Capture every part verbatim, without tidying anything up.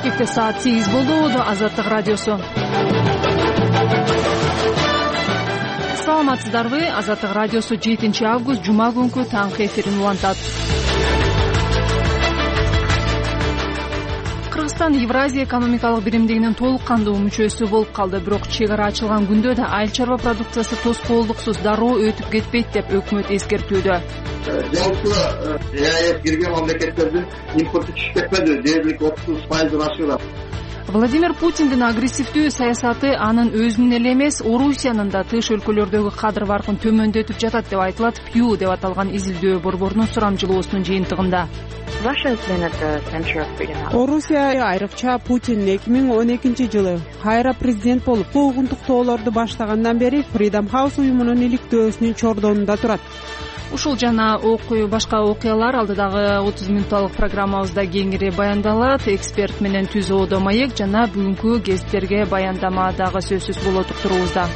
Бишкекте саат сегиз болду. Азаттык радиосу. Саламатсыздарбы? Азаттык радиосу жетинчи август жума күнкү таңкы эфирин улантат. Кыргызстан Евразия экономикалык биримдигинин толук кандуу мүчөсү болуп калды. Бирок чек ара ачылган күндө да айыл чарба продукциясы тоскоолдуксуз дароо өтүп кетпейт деп өкмөт эскертүүдө. Жалпы ЭАЭС кирген мамлекеттердин импорту түшүп кетпеди. Дээрлик отуз пайыздан ашыгат. Владимир Путиндин агрессивдүү саясаты анын өзүнүн эле эмес, Орусиянын да тыш өлкөлөрдөгү кадыр баркын төмөндөтүп жатат деп айтылат. Пью деп аталган изилдөө борборунун сурамжылоосунун жыйынтыгында. Орусия айрыкча Путин эки миң он экинчи жылы кайра президент болуп, куугунтуктоолорду баштагандан бери Freedom House уюмунун иликтөөсүнүн чордонунда турат. Ушул жана башка окуялар алдыдагы отуз минутталык программабызда кеңири баяндалат. Эксперт менен түз оодо маек жана бүгүнкү гезиттерге баяндама дагы сөзсүз болот уктуруубузда.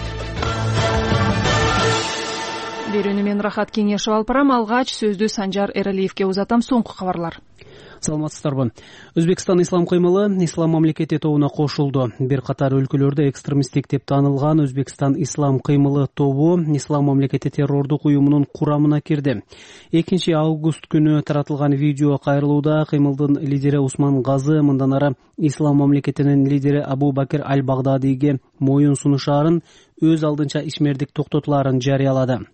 Берүүнү мен Рахат Кеңешев алып барам. Алгач сөздү Санжар Эралиевке узатам. Соңку кабарлар. Саламатсыздарбы. Өзбекстан ислам кыймылы ислам мамлекети тобуна кошулду. Бир катар өлкөлөрдө экстремисттик деп таанылган Өзбекстан ислам кыймылы тобу ислам мамлекети террордук уюмунун курамына кирди. экинчи август күнү таратылган видео кайрылууда кыймылдын лидери Усман Газы мындан ары ислам мамлекетинин лидери Абу Бакир аль-Багдадийге моюн сунушаарын, өз алдынча ишмердик токтотулаарын жарыялады.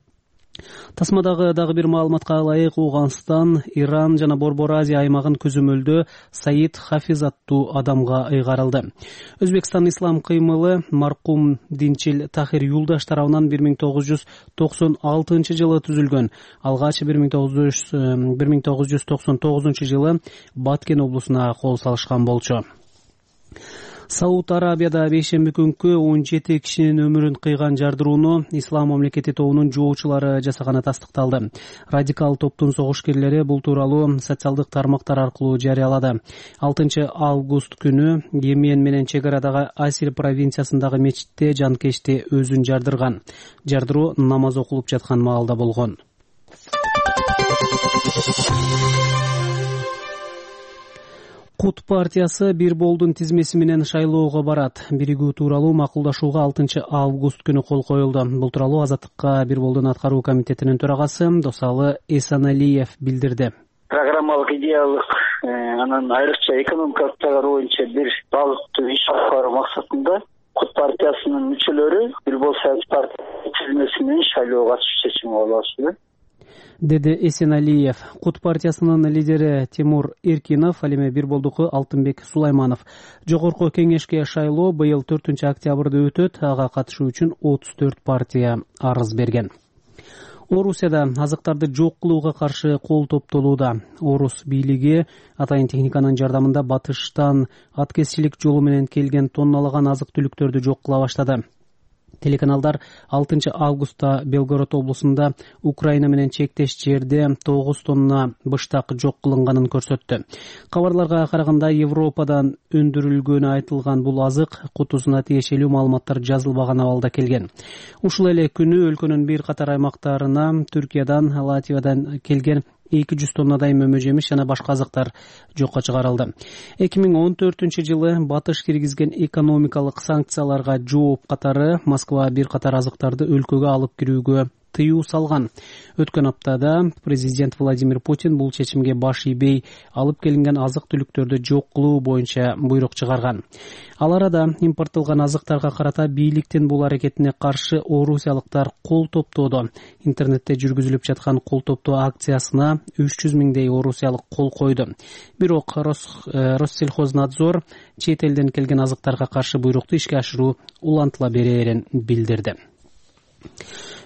Тасмадагы дагы бир маалыматка ылайык, Ооганстан, Иран жана Борбор Азия аймагын көзөмөлдөө Саид Хафиз аттуу адамга ыйгарылды. Өзбекстан ислам кыймылы маркум Динчил Тахир Юлдаш тарабынан бир миң тогуз жүз токсон алтынчы жылы түзүлгөн. Алгач бир миң тогуз жүз токсон тогузунчу жылы Баткен облусуна кол салышкан болчу. Сауд Арабияда бейшемби күнкү он жети кишинин өмүрүн кыйган жардырууну ислам мамлекети тобунун жоочулары жасаганы тастыкталды. Радикал топтун согушкерлери бул тууралуу социалдык тармактар аркылуу жарыялады. алтынчы август күнү Йемен менен чек арадагы Асир провинциясындагы мечитте жанкечти өзүн жардырган. Жардыруу намаз окулуп жаткан маалда болгон. Кут партиясы бир болдун тизмеси менен шайлоого барат. Биригүү тууралуу макулдашууга алтынчы август күнү кол коюлду. Бул тууралуу Азаттыкка бир болдун аткаруу комитетинин төрагасы Досалы Эсаналиев билдирди. Программалык идеялык анан айрыкча экономикалык тагыр боюнча бир багыттуу иш алып баруу максатында Кут партиясынын мүчөлөрү бир бол саясий партия тизмеси менен шайлоого катышуу чечими кабыл алышты, деди Эсеналиев. Кут партиясынын лидери Тимур Эркинов, ал эми бир болдуку Алтынбек Сулайманов. Жогорку кеңешке шайлоо быйыл төртүнчү октябрда өтөт. Ага катышуу үчүн отуз төрт партия арыз берген. Орусияда азыктарды жок кылууга каршы кол топтолууда. Орус бийлиги атайын техниканын жардамында батыштан аткезчилик жолу менен келген тонналаган азык-түлүктөрдү жок кыла баштады. Телеканалдар алтынчы августта Белгород облусунда Украина менен чектеш жерде тогуз тонна быштак жок кылынганын көрсөттү. Кабарларга караганда Европадан өндүрүлгөнү айтылган бул азык кутусуна тиешелүү маалыматтар жазылбаган абалда келген. Ушул эле күнү өлкөнүн бир катар аймактарына Түркиядан, Латвиядан келген эки жүз тоннадай мөмө жемиш жана башка азыктар жокко чыгарылды. эки миң он төртүнчү жылы батыш киргизген экономикалык санкцияларга жооп катары Москва бир катар азыктарды өлкөгө алып кирүүгө тыюу салган. Өткөн аптада президент Владимир Путин бул чечимге баш ийбей алып келинген азык-түлүктөрдү жок кылуу боюнча буйрук чыгарган. Ал арада импорттолгон азыктарга карата бийликтин бул аракетине каршы орусиялыктар кол топтоодо. Интернетте жүргүзүлүп жаткан кол топтоо акциясына үч жүз миңдей орусиялык кол койду. Бирок Россельхознадзор чет элден келген азыктарга каршы буйрукту ишке ашыруу улантыла берерин билдирди.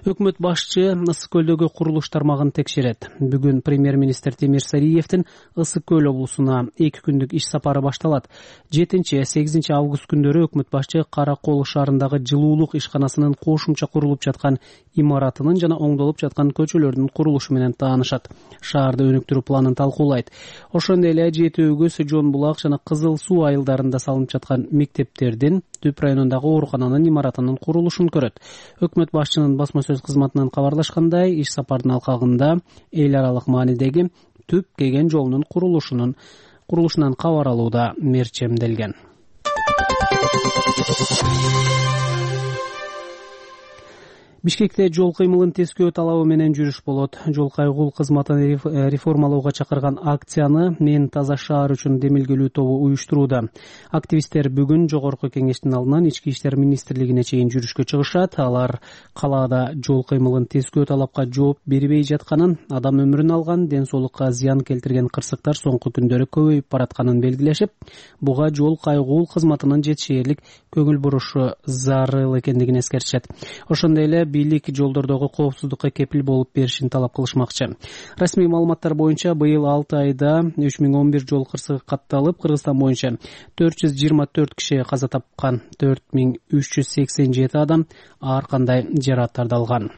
Өкмөт башчы Ысык көлдөгү курулуш тармагын текшерет. Бүгүн премьер-министр Темир Сариевдин Ысык көл облусуна эки күндүк иш сапары башталат. жетинчи сегизинчи август күндөрү өкмөт башчы Кара Кол шаарындагы жылуулук ишканасынын кошумча курулуп жаткан имаратынын жана оңдолуп жаткан көчөлөрдүн курулушу менен таанышат. Шаарды өнүктүрүү планын талкуулайт. Ошондой эле Жети өгүз, Жон булак жана Кызыл суу айылдарында салынып жаткан мектептердин, Түп районундагы оорукананын имаратынын курулушун көрөт. Өкмөт башчынын басма сөз кызматынан кабарлашкандай, иш сапардын алкагында эл аралык маанидеги Түп Кеген жолунун курулушунун курулушунан кабар алууда мерчемделген. Бишкекте жол кыймылын тескөө талабы менен жүрүш болот. Жол кайгул кызматын реформалоого чакырган акцияны Мен таза шаар үчүн демилгелүү тобу уюштурууда. Активисттер бүгүн Жогорку Кеңештин алдынан Ички иштер министрлигине чейин жүрүшкө чыгышат. Алар калаада жол кыймылын тескөө талапка жооп бербей жатканын, адам өмүрүн алган, ден соолукка зыян келтирген кырсыктар соңку күндөрү көбөйүп баратканын белгилешип, буга жол кайгул кызматынын жетишээрлик көңүл бурушу зарыл экендигин эскертишет. Ошондой эле бийлик жолдордогу коопсуздукка кепил болуп беришин талап кылышмакчы. Расмий маалыматтар боюнча быйыл алты айда үч миң он бир жол кырсыгы катталып, Кыргызстан боюнча төрт жүз жыйырма төрт киши каза тапкан, төрт миң үч жүз сексен жети адам ар кандай жарааттарды алган.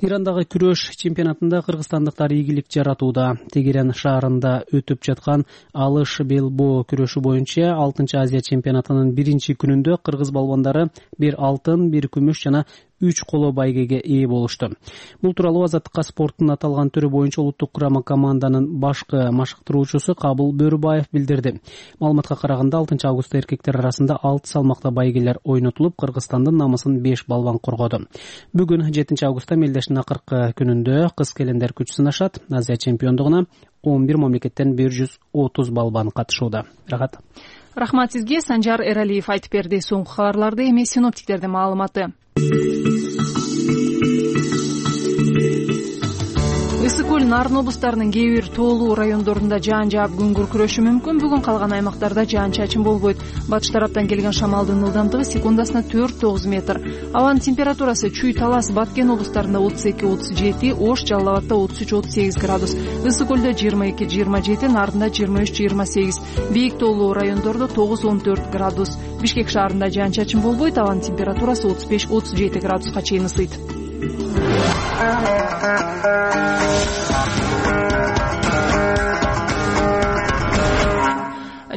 Ирандагы күрөш чемпионатында кыргызстандыктар ийгилик жаратууда. Тегеран шаарында өтүп жаткан алыш белбоо күрөшү боюнча алтынчы Азия чемпионатынын биринчи күнүндө кыргыз балбандары бир алтын, бир күмүш жана үч коло байгеге ээ болушту. Бул тууралуу Азаттыкка спорттун аталган түрү боюнча улуттук курама команданын башкы машыктыруучусу Кабыл Бөрүбаев билдирди. Маалыматка караганда алтынчы августта эркектер арасында алты салмакта байгелер ойнотулуп, Кыргызстандын намысын беш балбан коргоду. Бүгүн жетинчи августта мелдештин акыркы күнүндө кыз келиндер күч сынашат. Азия чемпиондугуна он бир мамлекеттен бир жүз отуз балбан катышууда. Рахат. Рахмат сизге. Санжар Эралиев айтып берди. Соңку кабарларды эми синоптиктердин маалыматы. Ысык көл, Нарын облустарынын кээ бир тоолуу райондорунда жаан жаап күн күркүрөшү мүмкүн. Бүгүн калган аймактарда жаан-чачын болбойт. Батыш тараптан келген шамалдын ылдамдыгы секундасына төрт тогуз метр. Абанын температурасы Чүй, Талас, Баткен облустарында отуз эки отуз жети, Ош, Жалал Абадта отуз үч отуз сегиз градус, Ысык көлдө жыйырма эки жыйырма жети, Нарында жыйырма үч жыйырма сегиз, бийик тоолуу райондордо тогуз он төрт градус. Бишкек шаарында жаан-чачын болбойт. Абанын температурасы отуз беш отуз жети градуска чейин ысыйт.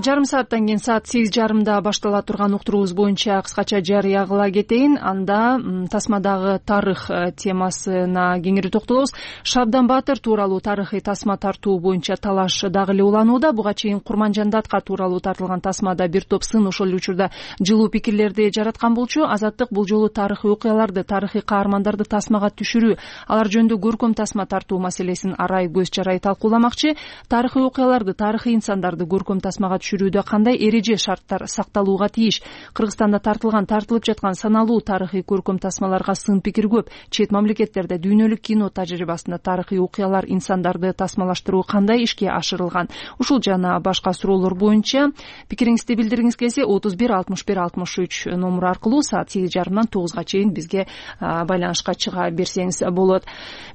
Жарым сааттан кийин саат сегиз жарымда баштала турган уктуруубуз боюнча кыскача жарыя кыла кетейин. Анда тасмадагы тарых темасына кеңири токтолобуз. Шабдан Батыр тууралуу тарыхый тасма тартуу боюнча талаш дагы эле уланууда. Буга чейин Курманжандатка тууралуу тартылган тасмада бир топ сын ошол эле учурда жылуу пикирлерди жараткан болчу. Азаттык бул жолу тарыхый окуяларды, тарыхый каармандарды тасмага түшүрүү, алар жөнүндө көркөм тасма тартуу маселесин арай көз жарай талкууламакчы. Тарыхый окуяларды, тарыхый инсандарды көркөм тасмага түшүрүүдө кандай эреже шарттар сакталууга тийиш? Кыргызстанда тартылган, тартылып жаткан саналуу тарыхый көркөм тасмаларга сын пикир көп. Чет мамлекеттерде дүйнөлүк кино тажрыйбасында тарыхый окуялар, инсандарды тасмалаштыруу кандай ишке ашырылган? Ушул жана башка суроолор боюнча пикириңизди билдиргиңиз келсе отуз бир алтымыш бир алтымыш үч номуру аркылуу саат сегиз жарымдан тогузга чейин бизге байланышка чыга берсеңиз болот.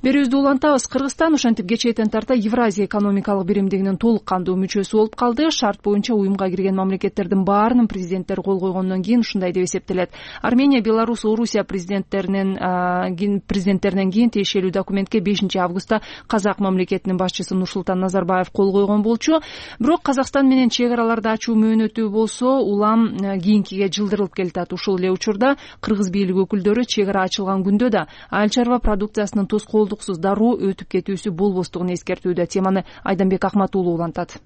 Берүүбүздү улантабыз. Кыргызстан ошентип кечээден тарта Евразия экономикалык биримдигинин толук кандуу мүчөсү болуп калды. Шарт боюнча уюмга кирген мамлекеттердин баарынын президенттери кол койгондон кийин ушундай деп эсептелет. Армения, Беларусь, Орусия президенттеринен президенттеринен кийин тиешелүү документке бешинчи августта Казак мамлекетинин башчысы Нурсултан Назарбаев кол койгон болчу. Бирок Казакстан менен чек араларды ачуу мөөнөтү болсо улам кийинкиге жылдырылып келатат. Ушул эле учурда кыргыз бийлик өкүлдөрү чек ара ачылган күндө да айыл чарба продукциясынын тоскоолдуксуз дароо өтүп кетүүсү болбостугун эскертүүдө. Теманы Айданбек Акмат уулу улантат.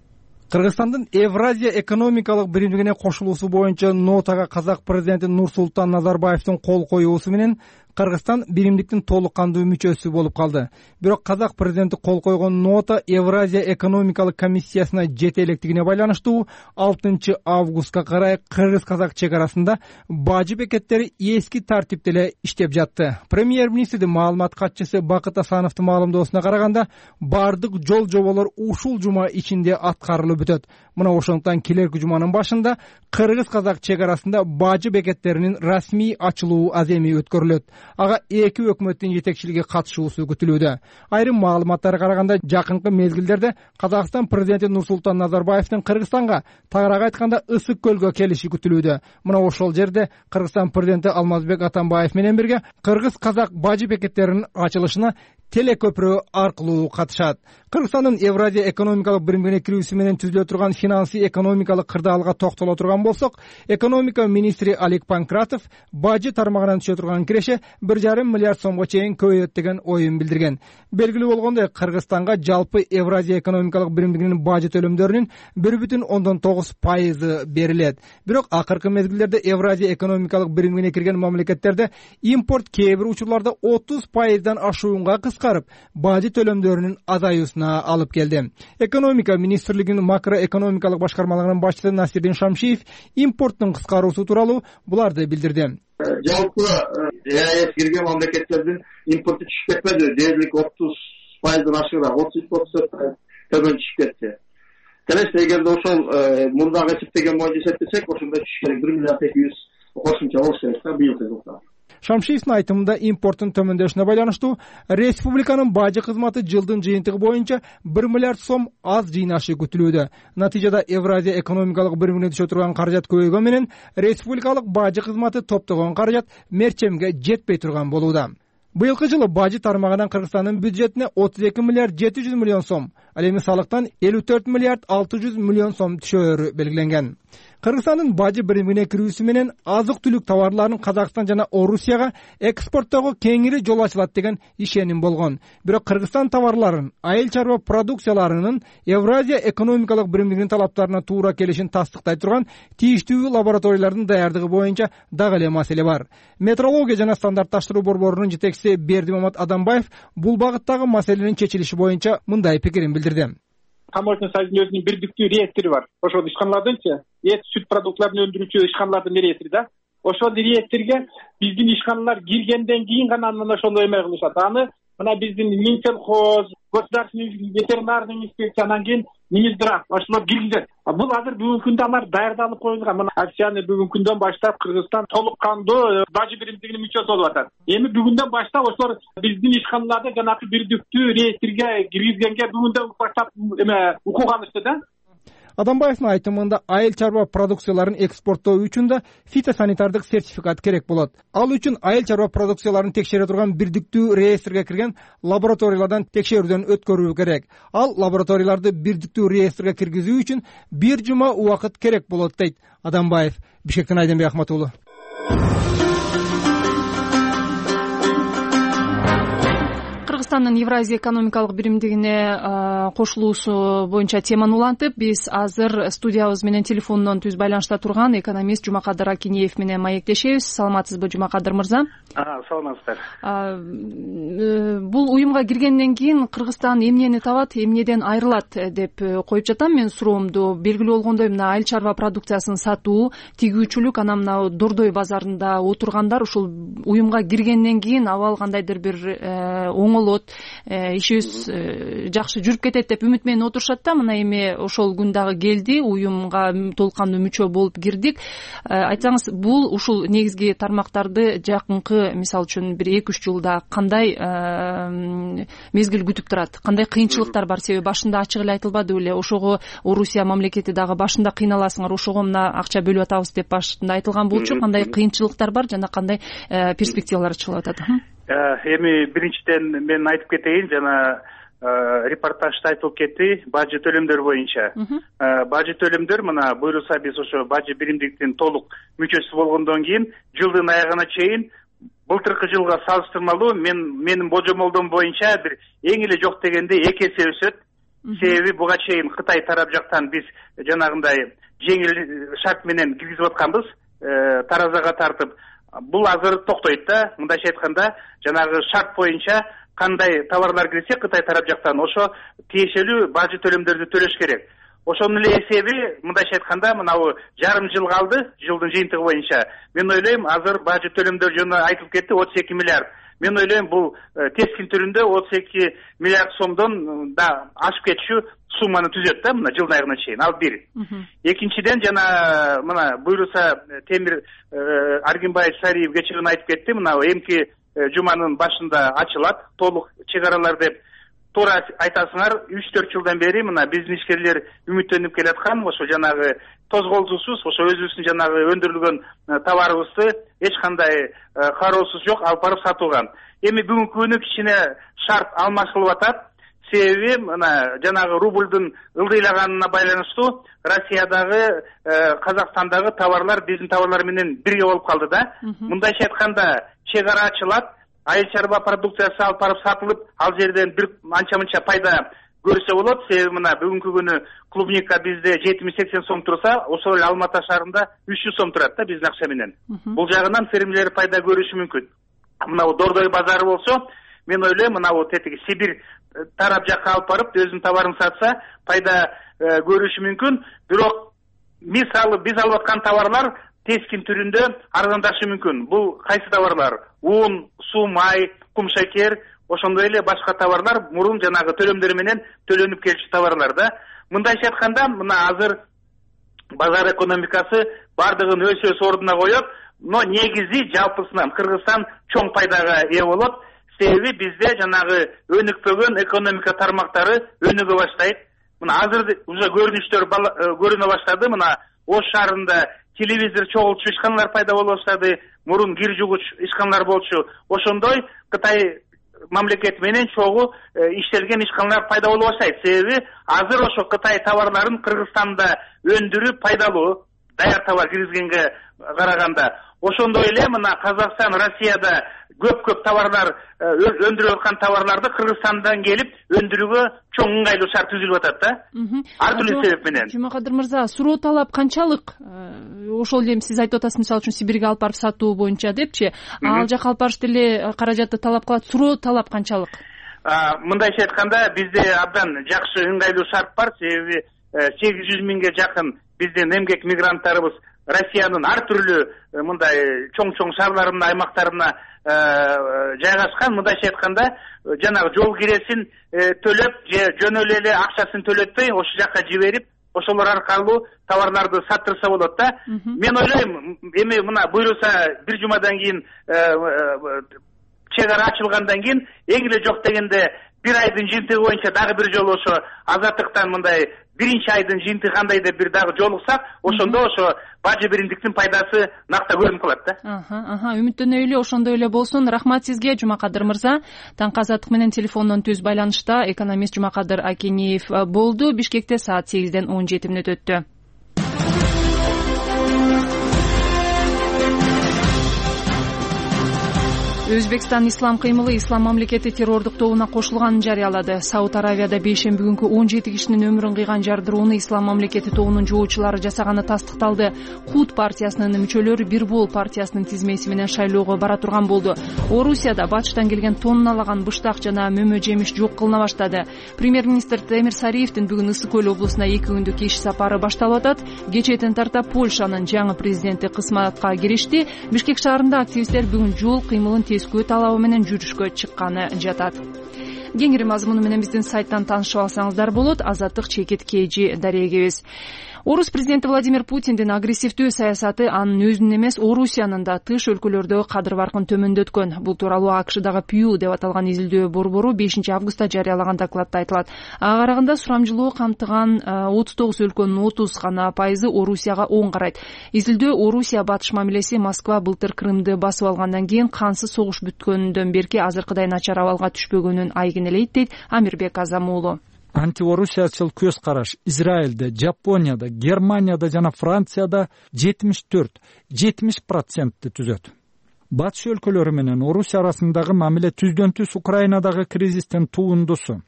Кыргызстандын Евразия экономикалык биримдигине кошулуусу боюнча нотага казак президенти Нурсултан Назарбаевдин кол коюусу менен Кыргызстан биримдиктин толук кандуу мүчөсү болуп калды. Бирок казак президенти кол койгон нота Евразия экономикалык комиссиясына жете электигине байланыштуу алтынчы августка карай кыргыз-казак чек арасында бажы бекеттери эски тартипте эле иштеп жатты. Премьер-министрдин маалымат катчысы Бакыт Асановдун маалымдоосуна караганда, бардык жол жоболор ушул жума ичинде аткарылып бүтөт. Мына ошондуктан келерки жуманын башында кыргыз-казак чек арасында бажы бекеттеринин расмий ачылуу аземи өткөрүлөт. Ага эки өкмөттүн жетекчилиги катышуусу күтүлүүдө. Айрым маалыматтарга караганда, жакынкы мезгилдерде Казакстан президенти Нурсултан Назарбаевдин Кыргызстанга, тагыраак айтканда Ысык көлгө келиши күтүлүүдө. Мына ошол жерде Кыргызстан президенти Алмазбек Атамбаев менен бирге кыргыз-казак бажы бекеттеринин ачылышына телекөпүрө аркылуу катышат. Кыргызстандын Евразия экономикалык биримдигине кирүүсү менен түзүлө турган финансы экономикалык кырдаалга токтоло турган болсок, экономика министри Олег Панкратов бажы тармагынан түшө турган киреше бир жарым миллиард сомго чейин көбөйөт деген оюн билдирген. Белгилүү болгондой, Кыргызстанга жалпы Евразия экономикалык биримдигинин бажы төлөмдөрүнүн бир бүтүн ондон тогуз пайызы берилет. Бирок акыркы мезгилдерде Евразия экономикалык биримдигине кирген мамлекеттерде импорт кээ бир учурларда отуз пайыздан ашуунга кыскарып, бажы төлөмдөрүнүн азаюусуна алып келди. Экономика министрлигинин макроэкономикалык башкармалыгынын башчысы Насирдин Шамшиев импорттун кыскаруусу тууралуу буларды билдирди. Жалпы ЭАЭС кирген мамлекеттердин импорту түшүп кетпеди. Дээрлик отуз пайыздан ашыгыраак, отуз үч отуз төрт пайыз төмөн түшүп кетти. Келесте эгерде ошол мурдагы эсептеген боюнча эсептесек, ошондо түшүш керек бир миллиард эки жүз кошумча болуш керек да быйылкы жылда. Шамшиевдин айтымында импорттун төмөндөшүнө байланыштуу республиканын бажы кызматы жылдын жыйынтыгы боюнча бир миллиард сом аз жыйнашы күтүлүүдө. Натыйжада Евразия экономикалык биримине түшө турган каражат көбөйгөн менен республикалык бажы кызматы топтогон каражат мерчемге жетпей турган болууда. Быйылкы жылы бажы тармагынан Кыргызстандын бюджетине отуз эки миллиард жети жүз миллион сом, ал эми салыктан элүү төрт миллиард алты жүз миллион сом түшөөрү белгиленген. Кыргызстандын бажы биримине кирүүсү менен азык-түлүк товарларынын Казакстан жана Орусияга экспорттоого кеңири жол ачылат деген ишеним болгон. Бирок Кыргызстан товарларынын, айыл чарба продукцияларынын Евразия экономикалык биримдигинин талаптарына туура келишин тастыктай турган тийиштүү лабораториялардын даярдыгы боюнча дагы эле маселе бар. Метрология жана стандартташтыруу борборунун жетекчиси Бердимамат Адамбаев бул багыттагы маселенин чечилиши боюнча мындай пикирин билдирди. Таможня союзунун өзүнүн бирдиктүү реестри бар. Ошол ишканалардынчы эт, сүт продуктларын өндүрүүчү ишканалардын реестри да. Ошол реестрге биздин ишканалар киргенден кийин гана анан ошону эме кылышат. Аны мына биздин Минсельхоз, государственный ветеринарный инспекция, анан кийин Минздрав ошолор киргизет. Бул азыр бүгүнкү күндө алар даярдалып коюлган. Мына акцияны бүгүнкү күндөн баштап Кыргызстан толук кандуу бажы биримдигинин мүчөсү болуп атат. Эми бүгүндөн баштап ошолор биздин ишканаларды жанагы бирдиктүү реестрге киргизгенге бүгүндөн баштап эме укук алышты да. Адамбаевдин айтымында айыл чарба продукцияларын экспорттоо үчүн да фитосанитардык сертификат керек болот. Ал үчүн айыл чарба продукцияларын текшере турган бирдиктүү реестрге кирген лабораториялардан текшерүүдөн өткөрүү керек. Ал лабораторияларды бирдиктүү реестрге киргизүү үчүн бир жума убакыт керек болот дейт Адамбаев. Бишкектен Айденбек Ахмат уулу. Кыргызстандын Евразия экономикалык биримдигине кошулуусу боюнча теманы улантып, биз азыр студиябыз менен телефондон түз байланышта турган экономист Жумакадыр Акинеев менен маектешебиз. Саламатсызбы, Жумакадыр мырза? Саламатсыздар. Бул уюмга киргенден кийин Кыргызстан эмнени табат, эмнеден айрылат деп коюп жатам мен суроомду. Белгилүү болгондой, мына айыл чарба продукциясын сатуу, тигүүчүлүк, анан мына Дордой базарында отургандар ушул уюмга киргенден кийин абал кандайдыр бир оңолот, ишибиз жакшы жүрүп кетет деп үмүт менен отурушат да. Мына эми ошол күн дагы келди, уюмга толук кандуу мүчө болуп кирдик. Айтсаңыз, бул ушул негизги тармактарды жакынкы, мисалы үчүн бир эки үч жылда кандай мезгил күтүп турат, кандай кыйынчылыктар бар? Себеби башында ачык эле айтылбады беле, ошого Орусия мамлекети дагы башында кыйналасыңар, ошого мына акча бөлүп атабыз деп башында айтылган болчу. Кандай кыйынчылыктар бар жана кандай перспективалар чыгып атат? Эми биринчиден мен айтып кетейин, жана репортажда айтылып кетти бажы төлөмдөр боюнча. Бажы төлөмдөр мына буйрулса биз ошо бажы биримдигинин толук мүчөсү болгондон кийин жылдын аягына чейин былтыркы жылга салыштырмалуу мен менин божомолдом боюнча бир эң эле жок дегенде эки эсе өсөт. Себеби буга чейин Кытай тарап жактан биз жанагындай жеңил шарт менен киргизип атканбыз, таразага тартып. Бул азыр токтойт да. Мындайча айтканда, жанагы шарт боюнча кандай товарлар кирсе Кытай тарап жактан ошо тиешелүү бажы төлөмдөрдү төлөш керек. Ошонун эле эсеби, мындайча айтканда, мынабу жарым жыл калды, жылдын жыйынтыгы боюнча. Мен ойлойм, азыр бажы төлөмдөр жөнүндө айтылып кетти отуз эки миллиард. Мен ойлойм, бул тескин түрүндө отуз эки миллиард сомдон да ашып кетишүү сумманы түзөт да, мына жылдын аягына чейин. Ал бир. Экинчиден, жана мына буйрулса Темир Аргимбаев Сариев кечирин айтып кетти, мына эмки жуманын башында ачылат толук чек аралар деп. туура айтасыңар, үч төрт жылдан бери мына биздин ишкерлер үмүттөнүп келаткан, ошо жанагы тозголсуусуз, ошо өзүбүздүн жанагы өндүрүлгөн товарыбызды эч кандай кароосуз жок алып барып сатылган. Эми бүгүнкү күнү кичине шарт алмашылып атат. Себеби мына жанагы рубльдун ылдыйлаганына байланыштуу Россиядагы, Казакстандагы товарлар биздин товарлар менен бирге болуп калды да. Мындайча айтканда, чек ара ачылат, айыл чарба продукциясы алып барып сатылып, ал жерден бир анча-мынча пайда көрсө болот. Себеби мына бүгүнкү күнү клубника бизде жетимиш сексен сом турса, ошол эле Алма Ата шаарында үч жүз сом турат да биздин акча менен. Бул жагынан фермерлер пайда көрүшү мүмкүн. Мына Дордой базары болсо, мен ойлойм, мына тетиги Сибирь тарап жакка алып барып өзүнүн товарын сатса, пайда көрүшү мүмкүн. Бирок мисалы биз алып аткан товарлар тескин түрүндө арзандашы мүмкүн. Бул кайсы товарлар? Un, суу, май, кум шекер, ошондой эле башка товарлар мурун жанагы төлөмдөр менен төлөнүп келчү товарлар да. Мындайча айтканда, мына азыр базар экономикасы бардыгын өз өз ордуна коёт, но негизи жалпысынан Кыргызстан чоң пайдага ээ болот. Себеби бизде жанагы өнүкпөгөн экономика тармактары өнүгө баштайт. Мына азыр уже көрүнүштөр көрүнө баштады. Мына Ош шаарында телевизор чогулчу ишканалар пайда боло баштады. Мурун кир жугуч ишканалар болчу. Ошондой Кытай мамлекети менен чогуу иштелген ишканалар пайда боло баштайт. Себеби азыр ошо Кытай товарларын Кыргызстанда өндүрүү пайдалуу, даяр товар киргизгенге караганда. Ошондой эле мына Казакстан, Россияда көп-көп товарлар өндүрүп аткан товарларды Кыргызстандан келип өндүрүүгө чоң ыңгайлуу шарт түзүлүп атат да. Ар түрдүү себеп менен. Жумакадыр мырза, суроо талап канчалык? Ошол эле сиз айтып атасыз, мисалы үчүн Сибирге алып барып сатуу боюнча депчи, ал жака алып барыш деле каражатты талап кылат. Суроо талап канчалык? Мындайча айтканда, бизде абдан жакшы ыңгайлуу шарт бар. Себеби сегиз жүз миңге жакын биздин эмгек мигранттарыбыз Россиянын ар түрлүү мындай чоң-чоң шаарларына, аймактарына жайгашкан. Мындайча айтканда, жанагы жол киресин төлөп, же жөн эле акчасын төлөтпөй, ошол жакка жиберип, ошолор аркылуу товарларды саттырса болот да. Мен ойлойм, эми мына буйруса бир жумадан кийин чек ара ачылгандан кийин эң эле жок дегенде бир айдын жыйынтыгы боюнча дагы бир жолу ошо азаттыктан мындай биринчи айдын жыйынтыгы кандай деп бир дагы жолуксак, ошондо ошо бажы биримдиктин пайдасы накта көрүнүп калат да. Аха, аха, үмүттөнөй эле ошондой эле болсун. Рахмат сизге, Жумакадыр мырза. Таңкы азаттык менен телефондон түз байланышта экономист Жумакадыр Акениев болду. Бишкекте саат сегизден он жети мүнөт өттү. Өзбекстан Ислам кыймылы Ислам мамлекети террордук тобуна кошулганын жарыялады. Сауд Аравияда бейшемби күнкү он жети кишинин өмүрүн кыйган жардырууну Ислам мамлекети тобунун жоочулары жасаганы тастыкталды. Кут партиясынын мүчөлөрү Бир бол партиясынын тизмеси менен шайлоого бара турган болду. Орусияда батыштан келген тонналаган быштак жана мөмө жемиш жок кылына баштады. Премьер-министр Темир Сариевдин бүгүн Ысык көл облусуна эки күндүк иш сапары башталып атат. Кечээден тарта Польшанын жаңы президенти кызматка киришти. Бишкек шаарында активисттер бүгүн жол кыймылын тескөө талабы менен жүрүшкө чыкканы жатат. Кеңири мазмуну менен биздин сайттан таанышып алсаңыздар болот. Азаттык чекит кежи дарегебиз. Орус президенти Владимир Путиндин агрессивдүү саясаты анын өзүнүн эмес, Орусиянын да тыш өлкөлөрдө кадыр баркын төмөндөткөн. Бул тууралуу АКШдагы Пью деп аталган изилдөө борбору бешинчи августта жарыялаган докладта айтылат. Ага караганда сурамжылоо камтыган отуз тогуз өлкөнүн отуз гана пайызы Орусияга оң карайт. Изилдөө Орусия батыш мамилеси Москва былтыр Крымды басып алгандан кийин кансыз согуш бүткөндөн берки азыркыдай начар абалга түшпөгөнүн айгинелейт, дейт Амирбек Азам уулу. Антиорусиячыл көз караш Израилде, Жапонияда, Германияда жана Францияда жетимиш төрт жетимиш процентти түзөт. Батыш өлкөлөрү менен Орусия арасындагы мамиле түздөн түз Украинадагы кризистин туундусу.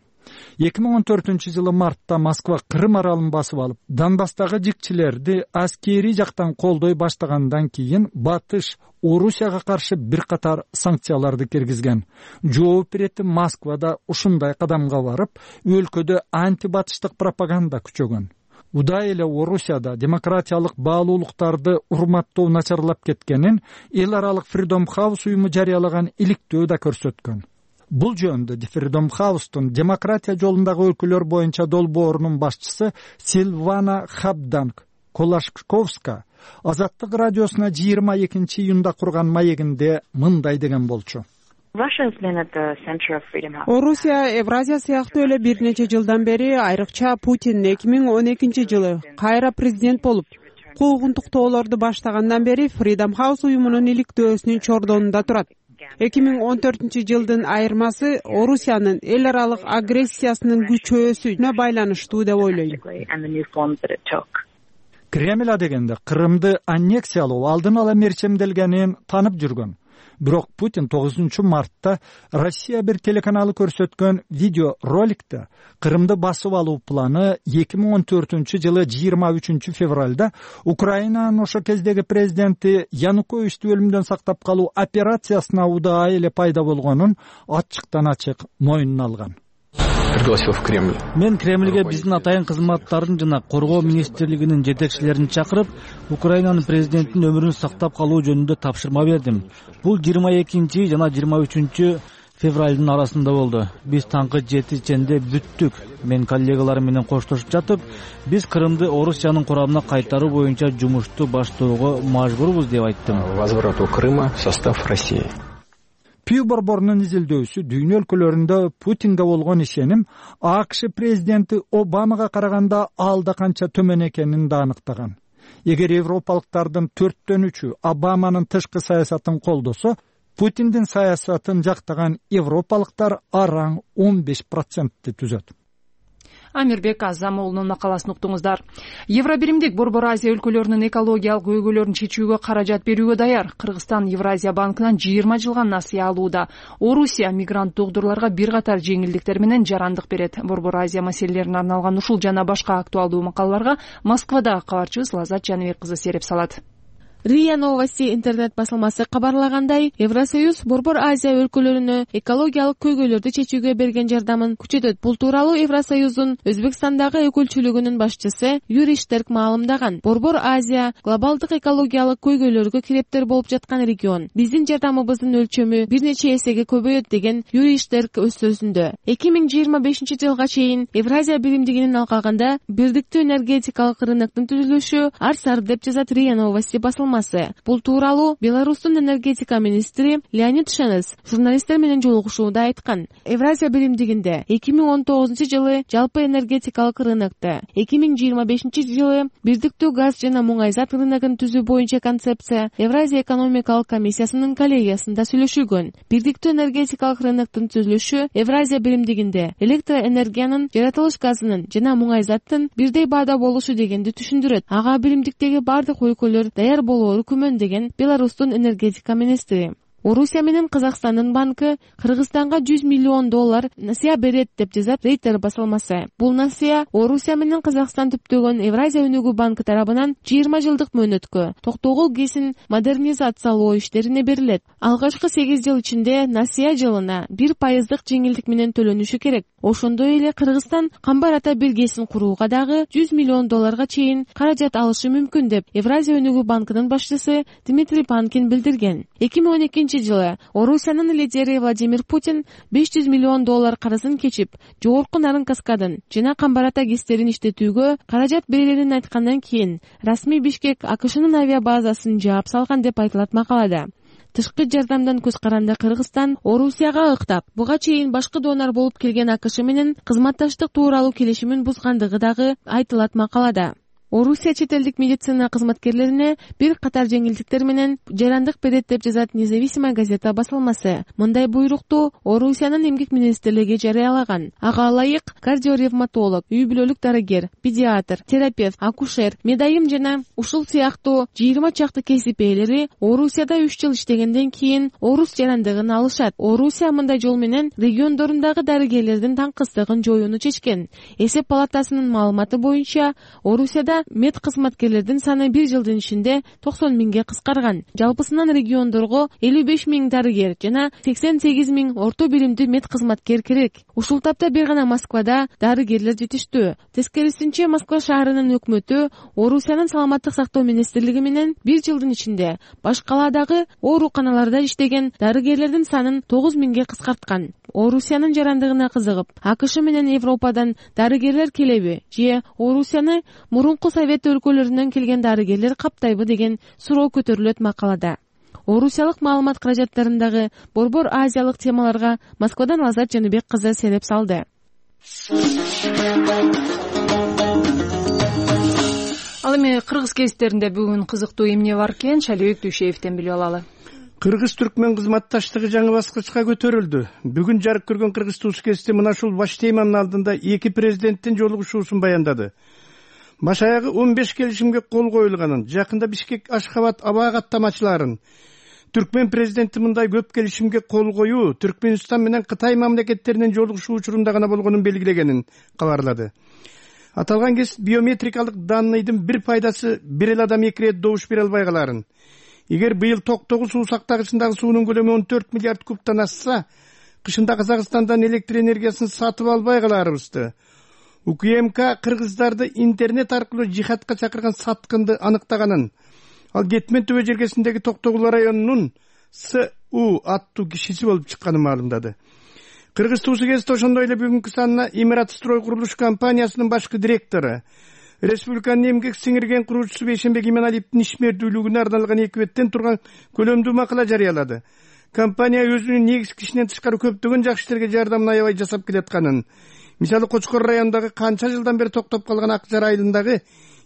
эки миң он төртүнчү жылы мартта Москва Крым аралын басып алып, Донбасстагы жикчилерди аскери жактан колдой баштагандан кийин Батыш Орусияга каршы бир катар санкцияларды киргизген. Жооп берет Москвада ушундай кадамга барып, өлкөдө антибатыштык пропаганда күчөгөн. Удай эле Орусияда демократиялык баалуулуктарды урматтоо начарлап кеткенин эл аралык Freedom House уюму жарыялаган иликтөө да көрсөткөн. Бул жөнүндө Freedom House'тун демократия жолундагы өлкөлөр боюнча долбоорунун башчысы Силвана Хабданг Колашковска Азаттык радиосуна жыйырма экинчи июнда курган маегинде мындай деген болчу. Орусия Евразия сыяктуу эле бир нече жылдан бери, айрыкча Путин эки миң он экинчи жылы кайра президент болуп, куугунтуктоолорду баштагандан бери Freedom House уюмунун иликтөөсүнүн чордонунда турат. эки миң он төртүнчү жылдын айырмасы Орусиянын эл аралык агрессиясынын күчөөсүнө байланыштуу деп ойлойм. Кремль адегенде Кырымды аннексиялоо алдын ала мерчемделгенин танып жүргөн. Бирок Путин тогузунчу мартта Россия бир телеканалы көрсөткөн видео роликте Кырымды басып алуу планы эки миң он төртүнчү жылы жыйырма үчүнчү февралда Украинанын ошо кездеги президенти Януковичти өлүмдөн сактап калуу операциясына удаа эле пайда болгонун ачыктан ачык моюнуна алган. Пригласил в Кремль. Мен Кремльге биздин атайын кызматтарын жана коргоо министрлигинин жетекчилерин чакырып, Украинанын президентинин өмүрүн сактап калуу жөнүндө тапшырма бердим. Бул жыйырма экинчи жана жыйырма үчүнчү февралдын арасында болду. Биз таңкы жети ченде бүттүк. Мен коллегаларым менен коштошуп жатып, биз Крымды Орусиянын курамына кайтаруу боюнча жумушту баштоого мажбурбуз деп айттым. Возврату Крыма в состав России. Пью борборунун изилдөөсү дүйнө өлкөлөрүндө Путинге болгон ишеним АКШ президенти Обамага караганда алда канча төмөн экенин да аныктаган. Эгер европалыктардын төрттөн үчү Обаманын тышкы саясатын колдосо, Путиндин саясатын жактаган европалыктар араң он беш процентти түзөт. Амирбек Азам уулунун макаласын уктуңуздар. Евробиримдик Борбор Азия өлкөлөрүнүн экологиялык көйгөйлөрүн чечүүгө каражат берүүгө даяр. Кыргызстан Евразия банкынан жыйырма жылга насыя алууда. Орусия мигрант догдурларга бир катар жеңилдиктер менен жарандык берет. Борбор Азия маселелерине арналган ушул жана башка актуалдуу макалаларга Москвадагы кабарчыбыз Лазат Жаныбек кызы сереп салат. РИА Новости интернет басылмасы кабарлагандай, Евросоюз Борбор Азия өлкөлөрүнө экологиялык көйгөйлөрдү чечүүгө берген жардамын күчөтөт. Бул тууралуу Евросоюздун Өзбекстандагы өкүлчүлүгүнүн башчысы Юрий Штерк маалымдаган. Борбор Азия глобалдык экологиялык көйгөйлөргө кирептер болуп жаткан регион. Биздин жардамыбыздын өлчөмү бир нече эсеге көбөйөт деген Юрий Штерк өз сөзүндө. эки миң жыйырма бешинчи жылга чейин Евразия биримдигинин алкагында бирдиктүү энергетикалык рыноктун түзүлүшү ар сар деп жазат РИА Новости басылмасы. Бул тууралуу Беларустун энергетика министри Леонид Шенес журналисттер менен жолугушууда айткан. Евразия биримдигинде эки миң он тогузунчу жылы жалпы энергетикалык рынокто, эки миң жыйырма бешинчи жылы бирдиктүү газ жана муңайзат рыногун түзүү боюнча концепция Евразия экономикалык комиссиясынын коллегиясында сүйлөшүлгөн. Бирдиктүү энергетикалык рыноктун түзүлүшү Евразия биримдигинде электроэнергиянын, жаратылыш газынын жана муңайзаттын бирдей баада болушу дегенди түшүндүрөт. Ага биримдиктеги бардык өлкөлөр даяр болуу күмөн деген Беларустун энергетика министри. Орусия менен Казакстандын банкы Кыргызстанга жүз миллион доллар насыя берет деп жазат Рейтер басылмасы. Бул насыя Орусия менен Казакстан түптөгөн Евразия өнүгүү банкы тарабынан жыйырма жылдык мөөнөткө токтогул кесин модернизациялоо иштерине берилет. Алгачкы сегиз жыл ичинде насыя жылына бир пайыздык жеңилдик менен төлөнүшү керек. Ошондой эле Кыргызстан камбар ата биргесин курууга дагы жүз миллион долларга чейин каражат алышы мүмкүн деп Евразия өнүгүү банкынын башчысы Дмитрий Панкин билдирген. эки миң он экинчи жылы Орусиянын лидери Владимир Путин беш жүз миллион доллар карызын кечип, жогорку нарын каскадын жана камбар ата гэстерин иштетүүгө каражат берилерин айткандан кийин расмий Бишкек АКШнын авиабазасын жаап салган деп айтылат макалада. Тышкы жардамдан көз каранда Кыргызстан Орусияга ыктап, буга чейин башкы донор болуп келген АКШ менен кызматташтык тууралуу келишимин бузгандыгы дагы айтылат макалада. Орусия чет элдик медицина кызматкерлерине бир катар жеңилдиктер менен жарандык берет деп жазат Независимая газета басылмасы. Мындай буйрукту Орусиянын эмгек министрлиги жарыялаган. Ага ылайык кардиоревматолог, үй бүлөлүк дарыгер, педиатр, терапевт, акушер, медайым жана ушул сыяктуу жыйырма чакты кесип ээлери Орусияда үч жыл иштегенден кийин орус жарандыгын алышат. Орусия мындай жол менен региондорундагы дарыгерлердин таңкыстыгын жоюуну чечкен. Эсеп палатасынын маалыматы боюнча Орусияда мед кызматкерлердин саны бир жылдын ичинде токсон миңге кыскарган. Жалпысынан региондорго элүү беш миң дарыгер жана сексен сегиз миң орто биримдүү мед кызматкер керек. Ушул тапта бир гана Москвада дарыгерлер жетиштүү. Тескерисинче Москва шаарынын өкмөтү Орусиянын саламаттык сактоо министрлиги менен бир жылдын ичинде баш калаадагы ооруканаларда иштеген дарыгерлердин санын тогуз миңге кыскарткан. Орусиянын жарандыгына кызыгып, АКШ менен Европадан дарыгерлер келеби же Орусияны мурунку Совет өлкөлөрүнөн келген дарыгерлер каптайбы деген суроо көтөрүлөт макалада. орусиялык маалымат каражаттарындагы борбор азиялык темаларга Москвадан Азат Жаныбек кызы селеп салды. Ал эми кыргыз гезиттеринде бүгүн кызыктуу эмне бар экен, Шалибек Дүйшеевден билип алалы. Кыргыз-түркмөн кызматташтыгы жаңы баскычка көтөрүлдү. Бүгүн жарык көргөн Кыргыз Туз гезити мына ушул баш теманын алдында эки президенттин жолугушуусун баяндады. Баш аягы он беш келишимге кол коюлганын, жакында Бишкек Ашхабад аба каттамачыларын, Түркмен президенти мындай көп келишимге кол коюу Түркмөнстан менен Кытай мамлекеттеринин жолугушуу учурунда гана болгонун белгилегенин кабарлады. Аталган гезит биометрикалык данныйдын бир пайдасы бир эле адам эки ирет добуш бере албай каларын. Эгер быйыл токтогу суу сактагычындагы суунун көлөмү он төрт миллиард кубтан ашса, кышында Казакстандан электр энергиясын сатып албай каларыбызды. УКМК кыргыздарды интернет аркылуу жихадка чакырган саткынды аныктаганын, ал Кетмен төбө жергесиндеги Токтогул районунун С У аттуу кишиси болуп чыкканын маалымдады. Кыргыз Туз гезити ошондой эле бүгүнкү санына Имарат-строй курулуш компаниясынын башкы директору, республиканын эмгек сиңирген куруучусу Бейшенбек Иманалиевдин ишмердүүлүгүнө арналган эки беттен турган көлөмдүү макала жарыялады. Компания өзүнүн негизги ишинен тышкары көптөгөн жакшы иштерге жардамын аябай жасап келатканын, мисалы Кочкор районундагы канча жылдан бери токтоп калган Ак Жар айылындагы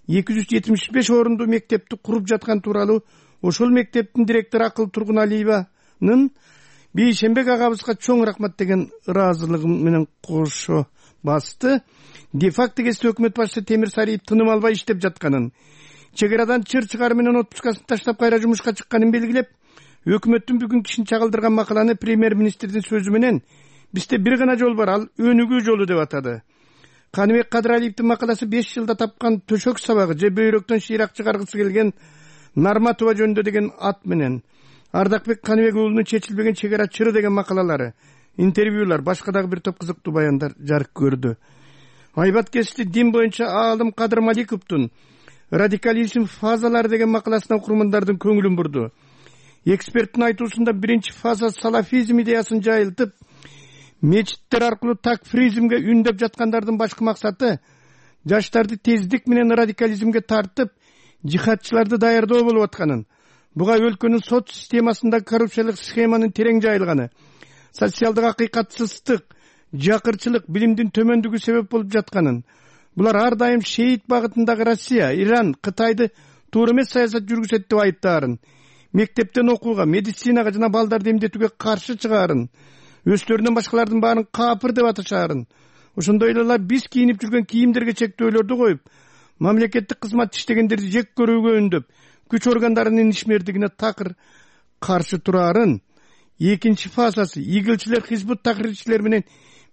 эки жүз жетимиш беш орундуу мектепти куруп жаткан тууралуу ошол мектептин директору Акыл Тургуналиеванын Бейшенбек агабызга чоң рахмат деген ыраазылыгы менен кошо басты. Де-факто гезит өкмөт башчысы Темир Сариев тыным албай иштеп жатканын, чек арадан чыр чыгары менен отпускасын таштап кайра жумушка чыкканын белгилеп, өкмөттүн бүгүнкү ишин чагылдырган макаланы премьер-министрдин сөзү менен бизде бир гана жол бар, ал өнүгүү жолу деп атады. Каныбек Кадыралиевдин макаласы беш жылда тапкан төшөк сабагы же бөйрөктөн шыйрак чыгаргысы келген Нарматова жөнүндө деген ат менен, Ардакбек Каныбек уулунун чечилбеген чек ара чыры деген макалалары, интервьюлар, башка дагы бир топ кызыктуу баяндар жарык көрдү. Айбат гезити дин боюнча аалым Кадыр Маликовдун радикализм фазалары деген макаласына окурмандардын көңүлүн бурду. Эксперттин айтуусунда биринчи фаза салафизм идеясын жайылтып, мечиттер аркылуу такфиризмге үндөп жаткандардын башкы максаты жаштарды тездик менен радикализмге тартып, жихадчыларды даярдоо болуп атканын, буга өлкөнүн сот системасында коррупциялык схеманын терең жайылганы, социалдык акыйкатсыздык, жакырчылык, билимдин төмөндүгү себеп болуп жатканын, булар ар дайым шейит багытындагы Россия, Иран, Кытайды туура эмес саясат жүргүзөт деп айыптаарын, мектептен окууга, медицинага жана балдарды эмдетүүгө каршы чыгаарын, өстөрүнөн башкалардын баарын капыр деп аташаарын, ошондой эле биз кийинип жүргөн кийимдерге чектөөлөрдү коюп, мамлекеттик кызмат иштегендерди жек көрүүгө үндөп, күч органдарынын ишмердигине такыр каршы тураарын, экинчи фазасы игилчилер, хизбут тахрирчилер менен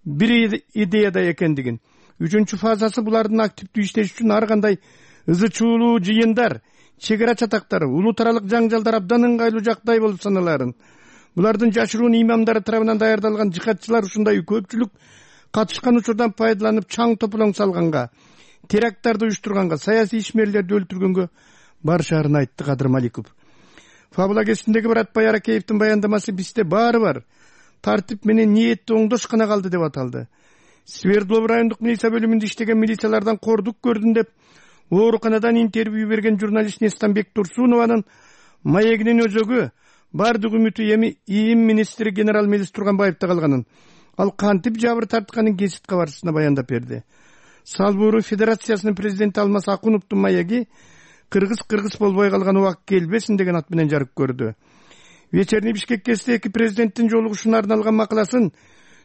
бир идеяда экендигин, үчүнчү фазасы булардын активдүү иштеш үчүн ар кандай ызы чуулуу жыйындар, чек ара чатактары, улуу таралык жаңжалдар абдан ыңгайлуу жактай болуп саналарын, булардын жашыруун имамдары тарабынан даярдалган жихадчылар ушундай көпчүлүк катышкан учурдан пайдаланып чаң тополоң салганга, теракттарды уюштурганга, саясий ишмерлерди өлтүргөнгө барышаарын айтты Кадыр Маликов. Фабула гезитиндеги Баратбай Аракеевдин баяндамасы бизде баары бар, тартип менен ниетти оңдош гана калды деп аталды. Свердлов райондук милиция бөлүмүндө иштеген милициялардан кордук көрдүм деп ооруканадан интервью берген журналист Нестанбек Турсунованын маегинин өзөгү бардык үмүтү эми ИИМ министри генерал Мелис Турганбаевде калганын, ал кантип жабыр тартканын гезит кабарчысына баяндап берди. Салбуру Федерациясынын президенти Алмаз Акуновдун маеги Кыргыз кыргыз болбой калган убак келбесин деген ат менен жарык көрдү. Вечерний Бишкек гезити эки президенттин жолугушууна арналган макаласын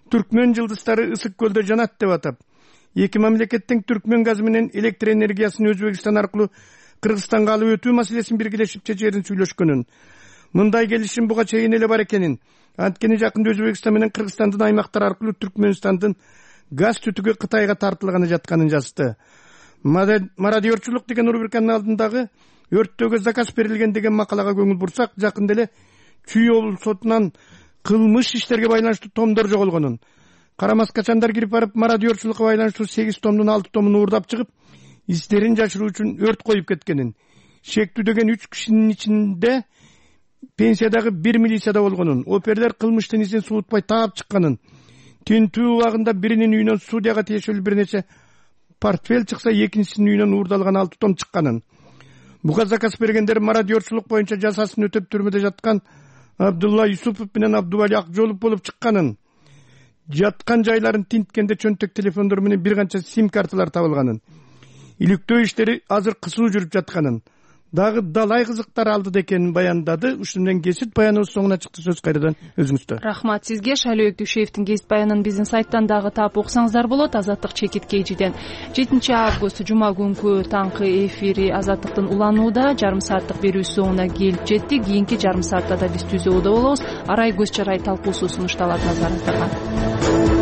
Түркмөн жылдыздары ысык көлдө жанат деп атап, эки мамлекеттин Түркмөн газы менен электр энергиясын Өзбекстан аркылуу Кыргызстанга алып өтүү маселесин биргелешип чечээрин сүйлөшкөнүн, мындай келишим буга чейин эле бар экенин, анткени жакында Өзбекстан менен Кыргызстандын аймактары аркылуу Түркмөнстандын газ түтүгү Кытайга тартылганы жатканын жазды. Мародерчулук деген рубриканын алдындагы өрттөөгө заказ берилген деген макалага көңүл бурсак, жакында эле Чүй облус сотунан кылмыш иштерге байланыштуу томдор жоголгонун, карамас качандар кирип барып мародерчулукка байланыштуу сегиз томдун алты томун уурдап чыгып, издерин жашыруу үчүн өрт коюп кеткенин, шектүүдөгөн үч кишинин ичинде пенсиядагы бир милицияда болгонун, оперлер кылмыштын изин суутпай таап чыкканын, тинтүү убагында биринин үйүнөн судьяга тиешелүү бир нече портфель чыкса, экинчисинин үйүнөн уурдалган алты том чыкканын, буга заказ бергендер мародерчулук боюнча жазасын өтөп түрмөдө жаткан Абдулла Юсупов менен Абдубали Акжолов болуп чыкканын, жаткан жайларын тинткенде чөнтөк телефондор менен бир канча сим карталар табылганын, иликтөө иштери азыр кысуу жүрүп жатканын, дагы далай кызыктар алдыда экенин баяндады. Ушун менен кесип баяныбыз соңуна чыкты. Сөз кайрадан өзүңүздө. Рахмат сизге. Шайлоо Өктүшевдин кесип баянын биздин сайттан дагы таап окусаңыздар болот. Азаттык чекит кежиден жетинчи август жума күнкү таңкы эфири Азаттыктын уланууда жарым сааттык берүүсү соңуна келип жетти. Кийинки жарым саатта да биз түзүүдө болобуз. Арай көз чарай талкуусу сунушталат, назарыңыздарга.